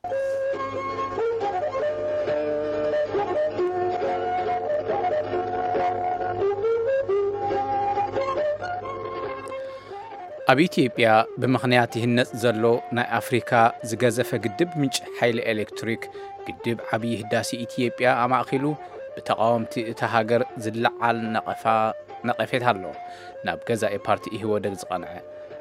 ኣብ ኢትዮጵያ ብምኽንያት ይህነጽ ዘሎ ናይ ኣፍሪካ ዝገዘፈ ግድብ ምንጪ ሓይሊ ኤሌክትሪክ፣ ግድብ ዓብዪ ህዳሴ ኢትዮጵያ ኣማእኪሉ ብተቓወምቲ እታ ሃገር ዝለዓል ነቐፋ ነቐፌታ ኣሎ። ናብ ገዛኢ ፓርቲ ኢህወደግ ዝቐንዐ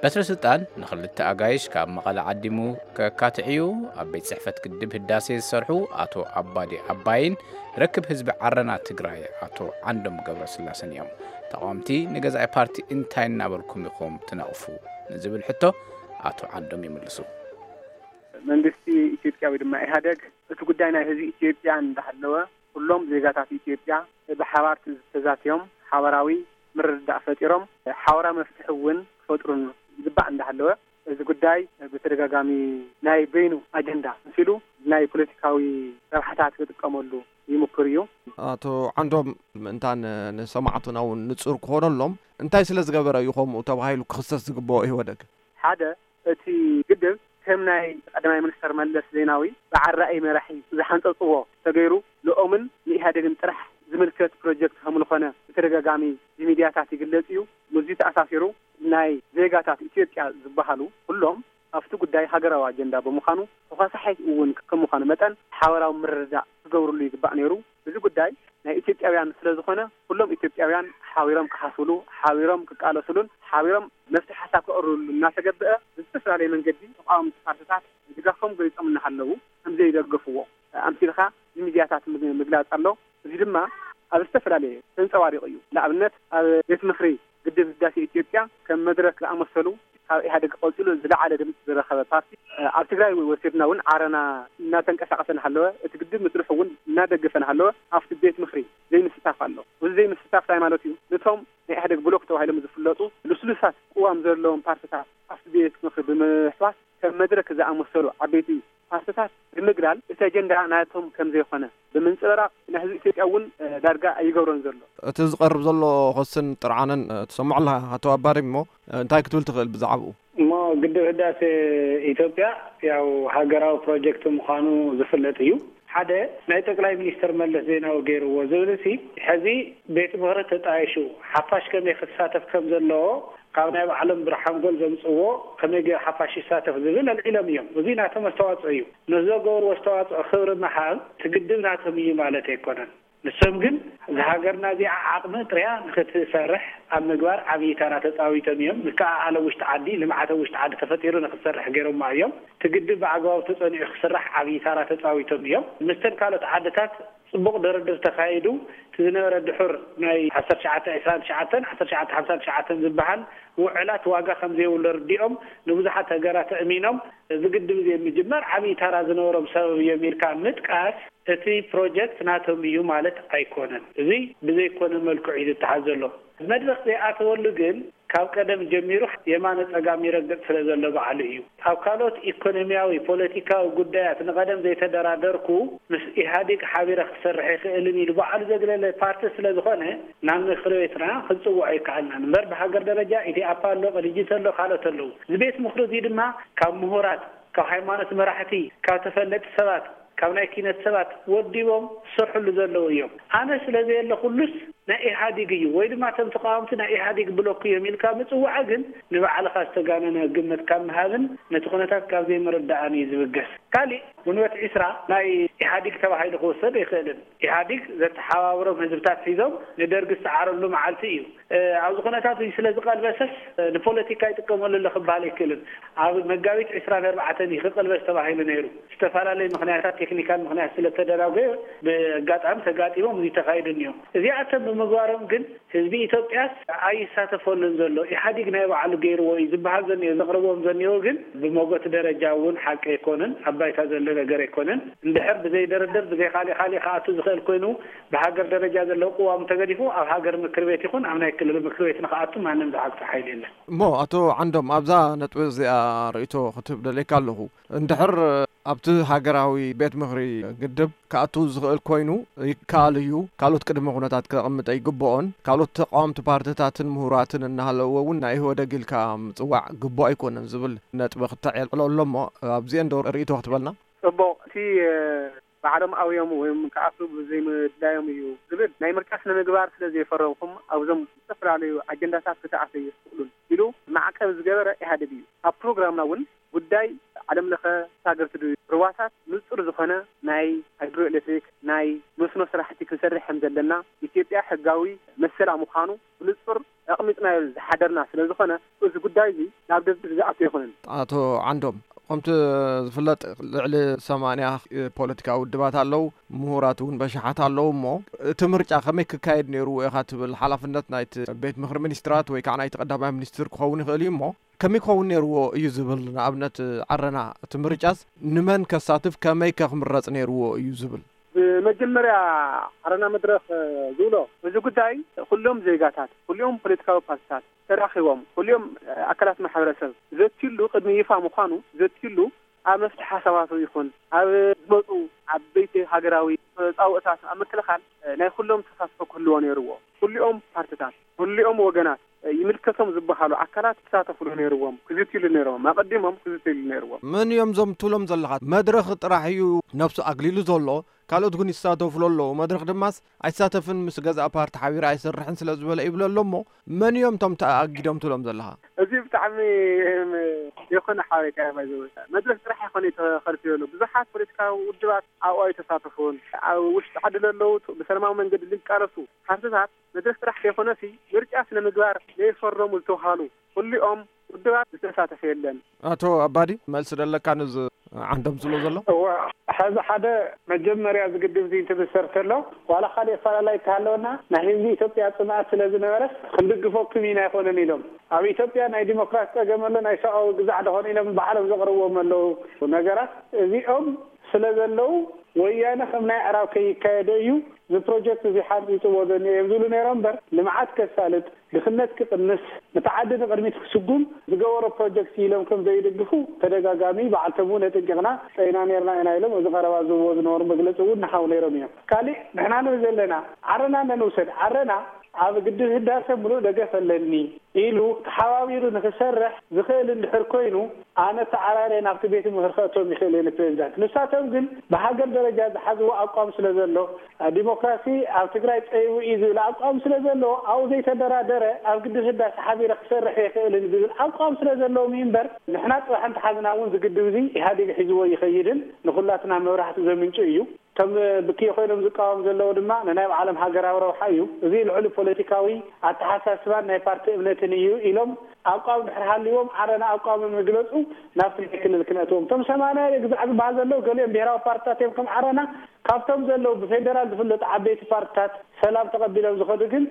በትረ ስልጣን ንኽልተ ኣጋይሽ ካብ መቐለ ዓዲሙ ከካትዕዩ ኣብ ቤት ጽሕፈት ግድብ ህዳሴ ዝሰርሑ ኣቶ ኣባዲ ኣባይን ርክብ ህዝቢ ዓረና ትግራይ ኣቶ ዓንዶም ገብረስላሰን እዮም። ተቓወምቲ ንገዛኢ ፓርቲ እንታይ እናበልኩም ኢኹም ትነቕፉ ንዝብል ሕቶ ኣቶ ዓንዶም ይምልሱ። መንግስቲ ኢትዮጵያ ወይ ድማ ኢህኣደግ እቲ ጉዳይ ናይ ህዝቢ ኢትዮጵያ እንዳሃለወ ኩሎም ዜጋታት ኢትዮጵያ ብሓባር ተዛትዮም ሓበራዊ ምርድዳእ ፈጢሮም ሓበራዊ መፍትሒ እውን ክፈጥሩን ዝግባእ እንዳሃለወ እዚ ጉዳይ ብተደጋጋሚ ናይ በይኑ ኣጀንዳ መሲሉ ናይ ፖለቲካዊ ረብሓታት ክጥቀመሉ ይምክር እዩ። ኣቶ ዓንዶም ምእንታን ንሰማዕቱና እውን ንጹር ክኾነሎም እንታይ ስለ ዝገበረ እዩ ከምኡ ተባሂሉ ክኽሰስ ዝግብኦ ኢህወደግ? ሓደ እቲ ግድብ ከም ናይ ቀዳማይ ሚኒስተር መለስ ዜናዊ ብዓራኢ መራሒ ዝሓንጸጽዎ ተገይሩ ንኦምን ንኢህኣደግን ጥራሕ ዝምልከት ፕሮጀክት ከም ዝኾነ ብተደጋጋሚ ብሚድያታት ይግለጽ እዩ። ምስዚ ተኣሳሲሩ ናይ ዜጋታት ኢትዮጵያ ዝበሃሉ ኩሎም ኣብቲ ጉዳይ ሃገራዊ ኣጀንዳ ብምዃኑ ተኳሳሓይቲ እውን ከም ምዃኑ መጠን ሓበራዊ ምርድዳእ ክገብርሉ ይግባእ ነይሩ። እዚ ጉዳይ ናይ ኢትዮጵያውያን ስለ ዝኾነ ኩሎም ኢትዮጵያውያን ሓቢሮም ክሓስብሉ፣ ሓቢሮም ክቃለስሉን ሓቢሮም መፍትሒ ሓሳብ ከቕርብሉ እናተገብአ ብዝተፈላለየ መንገዲ ተቃወምቲ ፓርትታት ድጋፎም ገሊጾም እናሃለዉ ከምዘይደገፍዎ ኣምሲልካ ብሚድያታት ምግላጽ ኣሎ። እዚ ድማ ኣብ ዝተፈላለየ ተንጸባሪቑ እዩ። ንኣብነት ኣብ ቤት ምኽሪ ግድብ ህዳሴ ኢትዮጵያ ከም መድረክ ዝኣመሰሉ ካብ ኢህኣደግ ቀጺሉ ዝለዓለ ድምፂ ዝረኸበ ፓርቲ ኣብ ትግራይ ወሲድና እውን ዓረና እናተንቀሳቐሰ እናሃለወ እቲ ግድብ ምስርሑ እውን እናደገፈ እናሃለወ ኣብቲ ቤት ምኽሪ ዘይምስታፍ ኣሎ። እዚ ዘይምስታፍ እንታይ ማለት እዩ? ነቶም ናይ ኢህኣደግ ብሎክ ተባሂሎም ዝፍለጡ ልስሉሳት ቅዋም ዘለዎም ፓርትታት ኣብቲ ቤት ምኽሪ ብምሕዋስ ከም መድረክ ዝኣመሰሉ ዓበይቲ ፓርትታት ብምግላል እቲ ኣጀንዳ ናቶም ከም ዘይኮነ ብምንፅብራቕ ንህዝቢ ኢትዮጵያ እውን ዳርጋ ኣይገብሮን ዘሎ። እቲ ዝቐርብ ዘሎ ክስን ጥርዓንን ትሰምዖ ኣለኻ ኣቶ ኣባሪ እሞ እንታይ ክትብል ትኽእል ብዛዕባኡ? እሞ ግድብ ህዳሴ ኢትዮጵያ ያው ሃገራዊ ፕሮጀክት ምዃኑ ዝፍለጥ እዩ። ሓደ ናይ ጠቅላይ ሚኒስትር መለስ ዜናዊ ገይርዎ ዝብል ሲ ሕዚ ቤት ምኽሪ ተጣይሹ ሓፋሽ ከመይ ክሳተፍ ከም ዘለዎ ካብ ናይ ባዕሎም ብርሓንጎል ዘምፅዎ ከመይ ገይሩ ሓፋሽ ይሳተፍ ዝብል ኣልዒሎም እዮም። እዚ ናቶም ኣስተዋፅኦ እዩ። ንዝገበርዎ ኣስተዋፅኦ ክብሪ ምሃብ እቲ ግድብ ናቶም እዩ ማለት ኣይኮነን። ንሶም ግን እዛ ሃገርና እዚኣ ዓቕሚ ጥርያ ንክትሰርሕ ኣብ ምግባር ዓብዪ ታራ ተፃዊቶም እዮም። ምክእኣል ኣብ ውሽጢ ዓዲ፣ ልምዓት ኣብ ውሽጢ ዓዲ ተፈጢሩ ንክትሰርሕ ገይሮማ እዮም። እቲ ግድብ ብኣግባቡ ተፀኒዑ ክስራሕ ዓብዪ ታራ ተፃዊቶም እዮም። ምስተን ካልኦት ዓድታት ፅቡቕ ድርድር ተኻይዱ እቲ ዝነበረ ድሑር ናይ ዓሰርተ ትሽዓተ ዕስራን ትሽዓተን ዓሰርተ ትሽዓተ ሓምሳን ትሽዓተን ዝበሃል ውዕላት ዋጋ ከም ዘይብሉ ርዲኦም ንብዙሓት ሃገራት ኣእሚኖም እዚ ግድብ እዚ ምጅማር ዓብዪ ታራ ዝነበሮም ሰበብ እዮም ኢልካ ምጥቃስ እቲ ፕሮጀክት ናቶም እዩ ማለት ኣይኮነን። እዚ ብዘይኮነ መልክዑ እዩ ዝተሓዝ ዘሎ። መድረኽ ዘይኣተወሉ ግን ካብ ቀደም ጀሚሩ የማነ ጸጋም ይረግጥ ስለ ዘሎ ባዕሉ እዩ። ኣብ ካልኦት ኢኮኖሚያዊ፣ ፖለቲካዊ ጉዳያት ንቐደም ዘይተደራደርኩ ምስ ኢህኣዴግ ሓቢረ ክሰርሕ ይኽእልን ኢሉ ባዕሉ ዘግለለ ፓርቲ ስለ ዝኾነ ናብ ምክሪ ቤትና ክንጽውዖ ኣይከኣልናን። እምበር ብሃገር ደረጃ ኢዴኣፓ ኣሎ፣ ቅንጅት ኣሎ፣ ካልኦት ኣለዉ። እዚ ቤት ምኽሪ እዚ ድማ ካብ ምሁራት፣ ካብ ሃይማኖት መራሕቲ፣ ካብ ተፈለጥቲ ሰባት፣ ካብ ናይ ኪነት ሰባት ወዲቦም ዝሰርሕሉ ዘለዉ እዮም። ኣነ ስለ ዘየለኹሉስ ናይ ኢህኣዲግ እዩ ወይ ድማ እቶም ተቃወምቲ ናይ ኢህኣዲግ ብሎክ እዮም ኢልካ ምጽዋዕ ግን ንባዕልኻ ዝተጋነነ ግምት ካብ ምሃብን ነቲ ኩነታት ካብ ዘይምርዳእን እዩ ዝብገስ። ካሊእ ግንቦት ዒስራ ናይ ኢህኣዲግ ተባሂሉ ክውሰድ ኣይኽእልን። ኢህኣዲግ ዘተሓባብሮም ህዝብታት ሒዞም ንደርጊ ዝሰዓረሉ መዓልቲ እዩ። ኣብዚ ኩነታት እዚ ስለ ዝቐልበሰስ ንፖለቲካ ይጥቀመሉ ኣሎ ክበሃል ኣይክእልን። ኣብ መጋቢት ዕስራን ኣርባዕተን እዩ ክቕልበስ ተባሂሉ ነይሩ። ዝተፈላለዩ ምኽንያታት፣ ቴክኒካል ምኽንያት ስለ ተደናጎየ ብኣጋጣሚ ተጋጢሞም እዚ ተኻይዱ እኒኦ። እዚኣቶም ብምግባሮም ግን ህዝቢ ኢትዮጵያስ ኣይሳተፈሉን ዘሎ። ኢህኣዲግ ናይ ባዕሉ ገይርዎ እዩ ዝበሃል ዘኒኦ፣ ዘቕርቦም ዘኒኦ ግን ብሞጎት ደረጃ እውን ሓቂ ኣይኮነን፣ ኣብ ባይታ ዘሎ ነገር ኣይኮነን። እንድሕር ብዘይ ድርድር ብዘይ ካሊእ ካሊእ ክኣቱ ዝኽእል ኮይኑ ብሃገር ደረጃ ዘሎ ቅዋም ተገዲፉ ኣብ ሃገር ምክር ቤት ይኹን ኣብ ናይ ክልል ምክር ቤት ንክኣቱ ማንም ዝዓግቶ ሓይሊ የለን። እሞ ኣቶ ዓንዶም ኣብዛ ነጥቢ እዚኣ ርእይቶ ክትህብ ደልየካ ኣለኹ። እንድሕር ኣብቲ ሃገራዊ ቤት ምኽሪ ግድብ ክኣቱ ዝኽእል ኮይኑ ይከኣል እዩ፣ ካልኦት ቅድመ ኩነታት ከቕምጥ ኣይግብኦን፣ ካልኦት ተቃወምቲ ፓርትታትን ምሁራትን እናሃለዎ እውን ናይ ኢህወደግ ኢልካ ምፅዋዕ ግቡእ ኣይኮነን ዝብል ነጥቢ ክተዕልዕሎ ኣሎ እሞ ኣብዚአን ዶ ርእይቶ ክትበልና? ጽቡቕ። እቲ ባዕሎም ኣውዮም ወይም ክኣትዉ ብዘይምድላዮም እዩ ዝብል ናይ ምርጫ ስነ ምግባር ስለ ዘይፈረምኩም ኣብዞም ዝተፈላለዩ ኣጀንዳታት ክትኣተዩ ይኽእሉን ኢሉ ማዕቀብ ዝገበረ ኢህኣዴግ እዩ። ኣብ ፕሮግራምና እውን ጉዳይ ዓለም ለኸ ተሳገርቲ ሩባታት ንጹር ዝኾነ ናይ ሃይድሮ ኤሌክትሪክ ናይ መስኖ ስራሕቲ ክንሰርሕ ከም ዘለና ኢትዮጵያ ሕጋዊ መሰላ ምዃኑ ብንጹር ኣቕሚጥናዮ ዝሓደርና ስለ ዝኾነ እዚ ጉዳይ እዚ ናብ ደብዳብ ዝኣቱ ኣይኮነን። ኣቶ ዓንዶም፣ ከምቲ ዝፍለጥ ልዕሊ ሰማንያ ፖለቲካዊ ውድባት ኣለዉ፣ ምሁራት እውን በሽሓት ኣለዉ። እሞ እቲ ምርጫ ከመይ ክካየድ ነይርዎ ኢኻ ትብል? ሓላፍነት ናይቲ ቤት ምኽሪ ሚኒስትራት ወይ ከዓ ናይቲ ቀዳማይ ሚኒስትር ክኸውን ይኽእል እዩ። እሞ ከመይ ክኸውን ነይርዎ እዩ ዝብል፣ ንኣብነት ዓረና እቲ ምርጫስ ንመን ከሳትፍ ከመይ ከ ክምረጽ ነይርዎ እዩ ዝብል? ብመጀመርያ ዓረና መድረኽ ዝብሎ እዚ ጉዳይ ኩሎም ዜጋታት፣ ኩሊኦም ፖለቲካዊ ፓርቲታት ተራኺቦም፣ ኩሊኦም ኣካላት ማሕበረሰብ ዘትዩሉ፣ ቅድሚ ይፋ ምዃኑ ዘትዩሉ፣ ኣብ መፍትሒ ሓሳባቱ ይኹን ኣብ ዝመፁ ዓበይቲ ሃገራዊ ፃውእታት ኣብ ምክልኻል ናይ ኩሎም ተሳትፎ ክህልዎ ነይርዎ። ኩሊኦም ፓርቲታት፣ ኩሊኦም ወገናት፣ ይምልከቶም ዝበሃሉ ኣካላት ክሳተፍሉ ነይርዎም፣ ክዝትይሉ ነይርዎም፣ ኣቐዲሞም ክዝትይሉ ነይርዎም። መን እዮም እዞም ትብሎም ዘለኻ? መድረኽ ጥራሕ እዩ ነብሱ ኣግሊሉ ዘሎ፣ ካልኦት ግን ይሳተፉሉ ኣለዉ። መድረኽ ድማስ ኣይሳተፍን፣ ምስ ገዛእ ፓርቲ ሓቢሩ ኣይሰርሕን ስለ ዝበለ ይብሎ ኣሎ። እሞ መን እዮም እቶም ተኣጊዶም ትብሎም ዘለኻ? እዚ ብጣዕሚ የኾነ ሓበሬታ እያ። ባይዘወ መድረኽ ጥራሕ ይኾነ ተኸልፊ ዘሎ፣ ብዙሓት ፖለቲካዊ ውድባት ኣብኡ ኣይተሳተፉን። ኣብ ውሽጢ ዓዲ ለለዉ ብሰላማዊ መንገዲ ዝቃለሱ ፓርቲታት መድረኽ ጥራሕ ከይኮነሲ ምርጫ ስነ ምግባር ዘይፈረሙ ዝተውሃሉ ኩሊኦም ውድባት ዝተሳተፈ የለን። ኣቶ ኣባዲ፣ መልሲ ደለካ ነዚ ዓንዶም ዝብሎ ዘሎ? እወ፣ ሕዚ ሓደ መጀመርያ ዝግድብ እዚ እንትብሰር ተሎ፣ ዋላ ካልእ ኣፈላላይ እንተሃለወና፣ ናይ ህዝቢ ኢትዮጵያ ጽምኣት ስለ ዝነበረስ ክንድግፈኩም ኢና ኣይኮነን ኢሎም። ኣብ ኢትዮጵያ ናይ ዲሞክራሲ ጸገም ኣሎ፣ ናይ ሰብኣዊ ግዛዕ ደኾነ ኢሎም ባዕሎም ዘቕርብዎም ኣለዉ ነገራት። እዚኦም ስለ ዘለዉ፣ ወያነ ከም ናይ ኣዕራብ ከይካየዶ እዩ እዚ ፕሮጀክት እዚ ሓንጺጽዎ ዘኒኦ እዮም ዝብሉ ነይሮም እምበር፣ ልምዓት ከሳልጥ፣ ድኽነት ክቕንስ፣ ነቲ ዓዲ ንቕድሚት ክስጉም ዝገበሮ ፕሮጀክት ኢሎም ከም ዘይድግፉ ተደጋጋሚ በዓልቶም እውን ኣጠንቂቕና ጸይና ነይርና ኢና ኢሎም ኣብዚ ቀረባ ዝህብዎ ዝነበሩ መግለጺ እውን ንሓው ነይሮም እዮም። ካሊእ ንሕና ንብል ዘለና ዓረና እንውሰድ። ዓረና ኣብ ግድብ ህዳሰ ምሉእ ደገፍ ኣለኒ ኢሉ ተሓባቢሩ ንክሰርሕ ዝኽእል እንድሕር ኮይኑ፣ ኣነ ተዓራርየ ናብቲ ቤት ምኽሪ ከእቶም ይኽእል እየ ንፕሬዚዳንት። ንሳቶም ግን ብሃገር ደረጃ ዝሓዝዎ ኣቋም ስለ ዘሎ፣ ዲሞክራሲ ኣብ ትግራይ ጸይቡ እዩ ዝብል ኣቋም ስለ ዘሎ፣ ኣብኡ ዘይተደራደረ ኣብ ግድብ ህዳሰ ሓቢረ ክሰርሕ የኽእልን ዝብል ኣቋም ስለ ዘለዎም እዩ እምበር፣ ንሕና ጽባሕ እንተሓዝና እውን ዝግድብ እዚ ኢህኣዴግ ሒዝዎ ይኸይድን ንኹላትና መብራህቲ ዘምንጩ እዩ። ከም ብክይ ኮይኖም ዝቃወም ዘለዉ ድማ ንናይ ባዕሎም ሃገራዊ ረብሓ እዩ። እዚ ልዕሊ ፖለቲካዊ ኣተሓሳስባን ናይ ፓርቲ እምነትን እዩ ኢሎም ኣቋም ድሕር ሃልዎም ዓረና ኣቋሞም ይግለጹ፣ ናብቲ ናይ ክልል ክነእትዎም። እቶም ሰማንያ ግዛዕ ዝበሃል ዘለዉ ገሊኦም ብሄራዊ ፓርትታት እዮም ከም ዓረና። ካብቶም ዘለዉ ብፌደራል ዝፍለጡ ዓበይቲ ፓርትታት ሰላም ተቐቢሎም ዝኸዱ ግን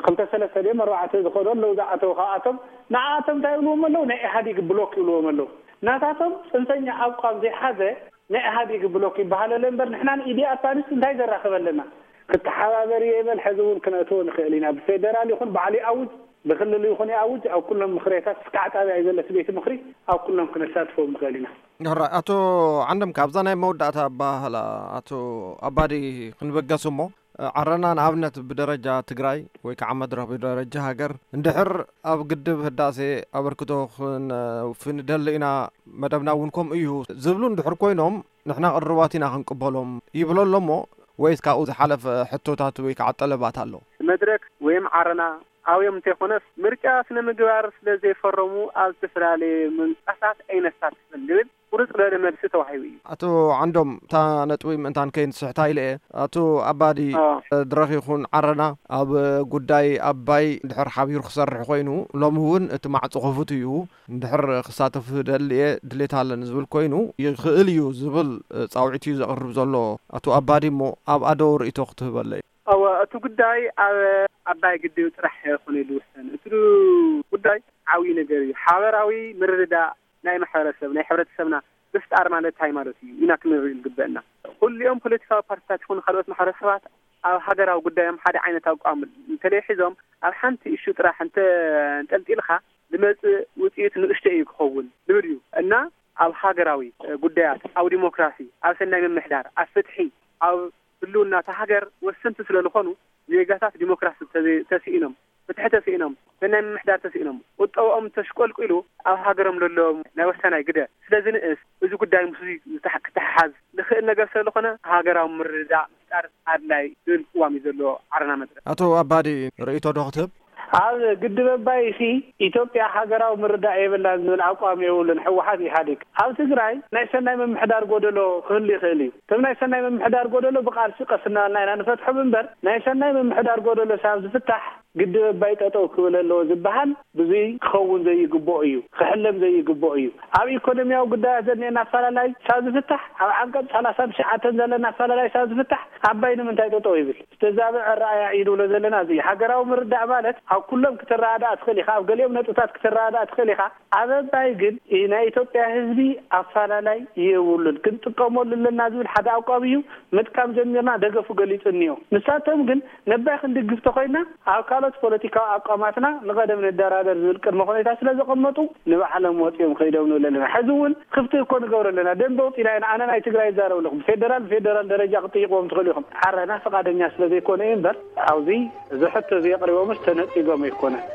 ክልተ ሰለስተ ድዮም ኣርባዕተ ዝኸዱ ኣለዉ ዝኣተዉ። ካብኣቶም ንዓኣቶም እንታይ ይብልዎም ኣለዉ? ናይ ኢህኣዲግ ብሎክ ይብልዎም ኣለዉ። ናታቶም ጽንፈኛ ኣቋም ዘይሓዘ ናይ ኢህኣዴግ ብሎክ ይበሃል ኣሎ እምበር ንሕና ንኢዲ ኣድቫንስ እንታይ ዘራኽበ ኣለና? ክተሓባበር እየ ይበል፣ ሕዚ እውን ክነእትዎ ንኽእል ኢና። ብፌደራል ይኹን ባዕሉ ይኣውጅ፣ ብክልል ይኹን ይኣውጅ፣ ኣብ ኩሎም ምኽሬታት እስካዕ ጣብያ እዩ ዘለስ ቤት ምኽሪ፣ ኣብ ኩሎም ክነሳትፎም ንኽእል ኢና። ሕራይ ኣቶ ዓንዶም፣ ካብዛ ናይ መወዳእታ ኣባህላ ኣቶ ኣባዲ ክንበገስ እሞ፣ ዓረና ንኣብነት ብደረጃ ትግራይ ወይ ከዓ መድረኽ ብደረጃ ሃገር እንድሕር ኣብ ግድብ ህዳሴ ኣበርክቶ ክንፍንደሊ ኢና፣ መደብና እውን ከምኡ እዩ ዝብሉ እንድሕር ኮይኖም፣ ንሕና ቅሩባት ኢና ክንቅበሎም ይብሎ ኣሎ እሞ፣ ወይስ ካብኡ ዝሓለፈ ሕቶታት ወይ ከዓ ጠለባት ኣሎ? መድረክ ወይም ዓረና ኣብዮም እንተይኮነስ፣ ምርጫ ስነ ምግባር ስለ ዘይፈረሙ ኣብ ዝተፈላለየ ምንቅስቃሳት ኣይነሳትፍን ዝብል ቁርጽ ዝበለ መልሲ ተዋሂቡ እዩ። ኣቶ ዓንዶም፣ እታ ነጥቢ ምእንታን ከይንስሕታ ኢለ እየ። ኣቶ ኣባዲ፣ ኣዎ። ድረኽ ይኹን ዓረና ኣብ ጉዳይ ኣባይ እንድሕር ሓቢሩ ክሰርሕ ኮይኑ፣ ሎሚ እውን እቲ ማዕጾ ክፉት እዩ። እንድሕር ክሳተፍ ደልየ ድሌት ኣለኒ ዝብል ኮይኑ፣ ይኽእል እዩ ዝብል ጻውዒት እዩ ዘቕርብ ዘሎ ኣቶ ኣባዲ። እሞ ኣብኣ ዶ ርእይቶ ክትህበለይ? እወ፣ እቲ ጉዳይ ኣብ ኣባይ ግድብ ጥራሕ ኣይኮነ ዝውሰን። እቲ ጉዳይ ዓብዪ ነገር እዩ። ሓበራዊ ምርድዳእ ናይ ማሕበረሰብ፣ ናይ ሕብረተሰብና ምፍጣር ማለት እንታይ ማለት እዩ ኢና ክንርኢ ዝግበአና። ኩሊኦም ፖለቲካዊ ፓርቲታት ይኹኑ ካልኦት ማሕበረሰባት ኣብ ሃገራዊ ጉዳዮም ሓደ ዓይነት ኣቋም እንተለይ ሒዞም፣ ኣብ ሓንቲ እሹ ጥራሕ እንተ-፣ እንጠልጢልካ ዝመጽእ ውጽኢት ንእሽቶ እዩ ክኸውን ዝብል እዩ። እና ኣብ ሃገራዊ ጉዳያት፣ ኣብ ዲሞክራሲ፣ ኣብ ሰናይ ምምሕዳር፣ ኣብ ፍትሒ፣ ኣብ ህልውና እታ ሃገር ወሰንቲ ስለ ዝኾኑ፣ ዜጋታት ዲሞክራሲ ተዘይ-፣ ተስኢኖም ብትሕተ ስኢኖም፣ ናይ ምምሕዳር ተስኢኖም፣ ቁጠባኦም ተሽቆልቂሉ ኣብ ሃገሮም ለለዎም ናይ ወሳናይ ግደ ስለ ዝንእስ፣ እዚ ጉዳይ ምስ ክትሓሓዝ ዝኽእል ነገር ስለ ዝኾነ ሃገራዊ ምርድዳእ ምፍጣር ኣድላይ ዝብል ቅዋም እዩ ዘለዎ ዓረና መድረክ። ኣቶ ኣባዲ፣ ርእይቶ ዶ ክትህብ? ኣብ ግድብ ኣባይ ሲ ኢትዮጵያ ሃገራዊ ምርዳእ የብላን ዝብል ኣቋም የብሉን ህወሓት ኢህኣዴግ። ኣብ ትግራይ ናይ ሰናይ ምምሕዳር ጎደሎ ክህሉ ይኽእል እዩ። እቶም ናይ ሰናይ ምምሕዳር ጎደሎ ብቃልሲ ቀስ እናበልና ኢና ንፈትሖም እምበር፣ ናይ ሰናይ ምምሕዳር ጎደሎ ሳብ ዝፍታሕ ግድብ ኣባይ ጠጠው ክብል ኣለዎ ዝበሃል ብዙይ ክኸውን ዘይግብኦ እዩ፣ ክሕለም ዘይግብኦ እዩ። ኣብ ኢኮኖሚያዊ ጉዳያት ዘኒኤና ኣፈላላይ ሳብ ዝፍታሕ፣ ኣብ ዓንቀፅ ሰላሳን ትሽዓተን ዘለና ኣፈላላይ ሳብ ዝፍታሕ ኣባይ ንምንታይ ጠጠው ይብል? ዝተዛበዐ ረኣያ እዩ ንብሎ ዘለና። እዚ ሃገራዊ ምርዳእ ማለት ኣብ ኩሎም ክትረዳእ ትኽእል ኢኻ፣ ኣብ ገሊኦም ነጥብታት ክትረዳእ ትኽእል ኢኻ። ኣብ ኣባይ ግን ናይ ኢትዮጵያ ህዝቢ ኣፈላላይ የብሉን፣ ክንጥቀመሉ ኣለና ዝብል ሓደ ኣቋም እዩ። ምጥቃም ጀሚርና ደገፉ ገሊጹ እኒኦ። ንሳቶም ግን ነባይ ክንድግፍ ተኾይና ኣብ ካልኦት ፖለቲካዊ ኣቋማትና ንቐደም ንደራደር ዝብል ቅድመ ሁኔታ ስለ ዘቐመጡ ንባዕሎም ወፂኦም ከይዶም ንብል ኣለና። ሕዚ እውን ክፍቲ እኮ ንገብር ኣለና። ደንበ ውፂና ኢና። ኣነ ናይ ትግራይ ይዛረብ ኣለኹ። ብፌደራል ብፌደራል ደረጃ ክጥይቅዎም ትኽእሉ ኢኹም። ዓረና ፈቃደኛ ስለ ዘይኮነ እዩ እምበር ኣብዚ እዚ ሕቶ እዚ የቕሪቦምስ ተነፂጎም ኣይኮነን።